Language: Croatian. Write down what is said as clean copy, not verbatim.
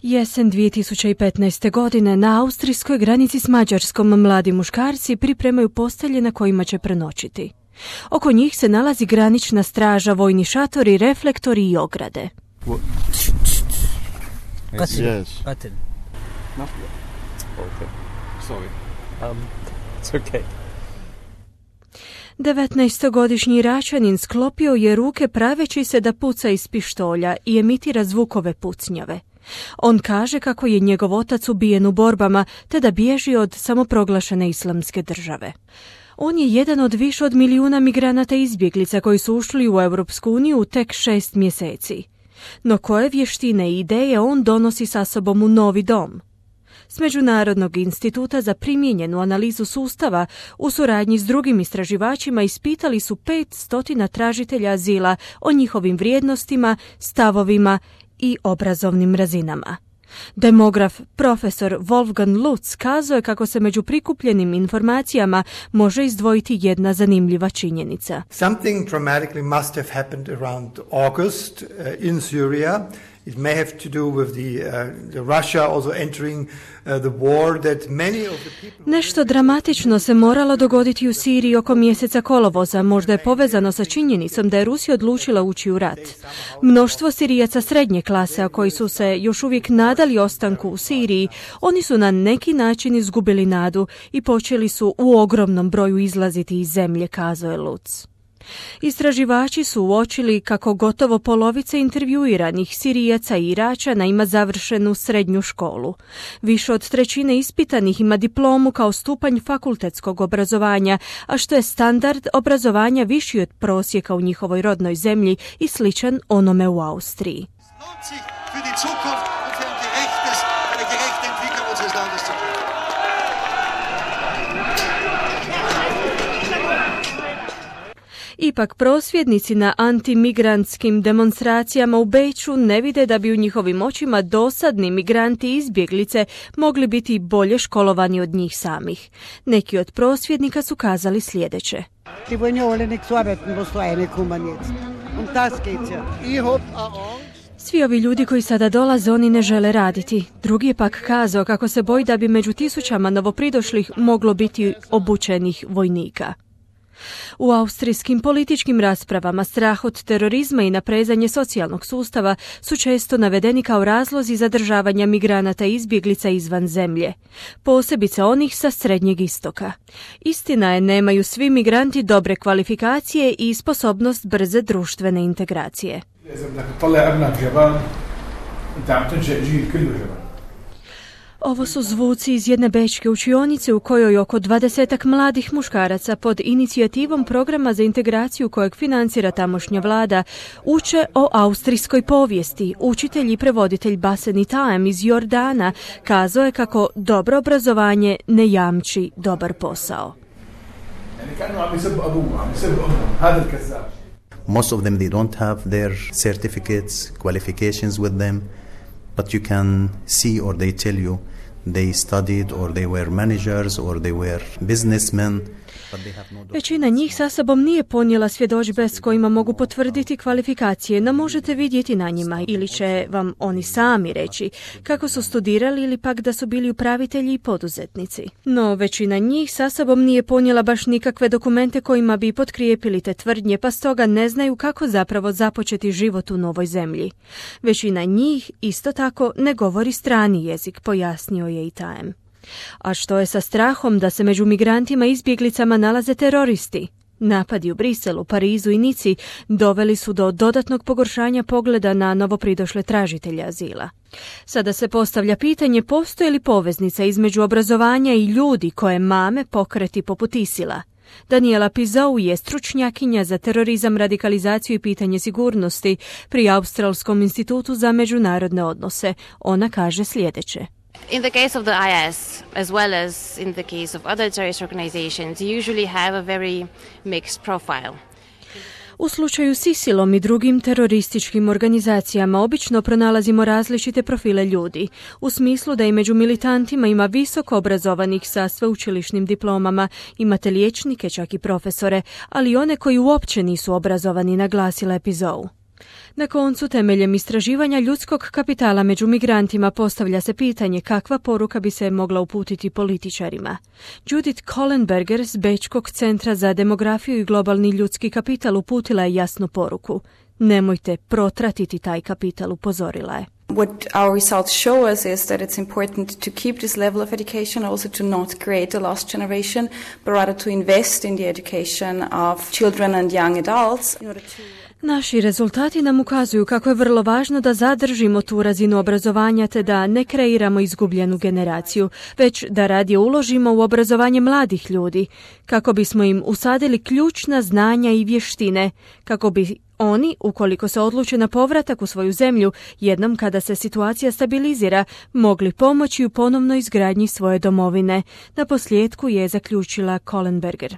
Jesen 2015. godine na austrijskoj granici s Mađarskom mladi muškarci pripremaju postelje na kojima će prenoćiti. Oko njih se nalazi granična straža, vojni šatori, reflektori i ograde. Yes. No? Okay. Sorry. It's okay. 19-godišnji Iračanin sklopio je ruke praveći se da puca iz pištolja i emitira zvukove pucnjave. On kaže kako je njegov otac ubijen u borbama te da bježi od samoproglašene islamske države. On je jedan od više od milijuna migranata i izbjeglica koji su ušli u Europsku uniju u tek 6 mjeseci. No koje vještine i ideje on donosi sa sobom u novi dom? S Međunarodnog instituta za primijenjenu analizu sustava u suradnji s drugim istraživačima ispitali su 500 tražitelja azila o njihovim vrijednostima, stavovima i obrazovnim razinama. Demograf profesor Wolfgang Lutz kazao je kako se među prikupljenim informacijama može izdvojiti jedna zanimljiva činjenica. Something dramatically must have happened around August in Syria. It may have to do with the Russia also entering the war that many of the people... Nešto dramatično se moralo dogoditi u Siriji oko mjeseca kolovoza, možda je povezano sa činjenicom da je Rusija odlučila ući u rat. Mnoštvo Sirijaca srednje klase, a koji su se još uvijek nadali ostanku u Siriji, oni su na neki način izgubili nadu i počeli su u ogromnom broju izlaziti iz zemlje, kazao je Lutz. Istraživači su uočili kako gotovo polovica intervjuiranih Sirijaca i Iračana ima završenu srednju školu. Više od trećine ispitanih ima diplomu kao stupanj fakultetskog obrazovanja, a što je standard obrazovanja viši od prosjeka u njihovoj rodnoj zemlji i sličan onome u Austriji. Ipak prosvjednici na antimigrantskim demonstracijama u Beču ne vide da bi u njihovim očima dosadni migranti i izbjeglice mogli biti bolje školovani od njih samih. Neki od prosvjednika su kazali sljedeće. Svi ovi ljudi koji sada dolaze, oni ne žele raditi. Drugi je pak kazao kako se boji da bi među tisućama novopridošlih moglo biti obučenih vojnika. U austrijskim političkim raspravama strah od terorizma i naprezanje socijalnog sustava su često navedeni kao razlozi zadržavanja migranata i izbjeglica izvan zemlje, posebice onih sa Srednjeg istoka. Istina je, nemaju svi migranti dobre kvalifikacije i sposobnost brze društvene integracije. Ovo su zvuci iz jedne bečke učionice u kojoj oko 20 mladih muškaraca pod inicijativom programa za integraciju kojeg financira tamošnja vlada uče o austrijskoj povijesti. Učitelj i prevoditelj Baseni Taem iz Jordana kazao je kako dobro obrazovanje ne jamči dobar posao. Most of them, they don't have their certificates, qualifications with them, but you can see or they tell you they studied or they were managers or they were businessmen. Većina njih sa sobom nije ponijela svjedodžbe s kojima mogu potvrditi kvalifikacije, no možete vidjeti na njima ili će vam oni sami reći kako su studirali ili pak da su bili upravitelji i poduzetnici. No većina njih sa sobom nije ponijela baš nikakve dokumente kojima bi potkrijepili te tvrdnje, pa stoga ne znaju kako zapravo započeti život u novoj zemlji. Većina njih isto tako ne govori strani jezik, pojasnio je i Taem. A što je sa strahom da se među migrantima i izbjeglicama nalaze teroristi? Napadi u Briselu, Parizu i Nici doveli su do dodatnog pogoršanja pogleda na novopridošle tražitelje azila. Sada se postavlja pitanje postoji li poveznica između obrazovanja i ljudi koje mame pokreti poput ISIL-a. Daniela Pizou je stručnjakinja za terorizam, radikalizaciju i pitanje sigurnosti pri Australskom institutu za međunarodne odnose. Ona kaže sljedeće. In the case of the IS, as well as in the case of other terrorist organizations, you usually have a very mixed profile. U slučaju s ISIL-om i drugim terorističkim organizacijama obično pronalazimo različite profile ljudi, u smislu da i među militantima ima visoko obrazovanih sa sveučilišnim diplomama, imate liječnike, čak i profesore, ali i one koji uopće nisu obrazovani, naglasila je Pizou. Na koncu, temeljem istraživanja ljudskog kapitala među migrantima postavlja se pitanje kakva poruka bi se mogla uputiti političarima. Judith Kohlenberger s Bečkog centra za demografiju i globalni ljudski kapital uputila je jasnu poruku. Nemojte protratiti taj kapital, upozorila je. What our results show us is that it's important to keep this level of education, also to not create a lost generation, but rather to invest in the education of children and young adults. Naši rezultati nam ukazuju kako je vrlo važno da zadržimo tu razinu obrazovanja te da ne kreiramo izgubljenu generaciju, već da radije uložimo u obrazovanje mladih ljudi, kako bismo im usadili ključna znanja i vještine, kako bi oni, ukoliko se odluče na povratak u svoju zemlju, jednom kada se situacija stabilizira, mogli pomoći u ponovnoj izgradnji svoje domovine. Na posljedku je zaključila Kohlenberger.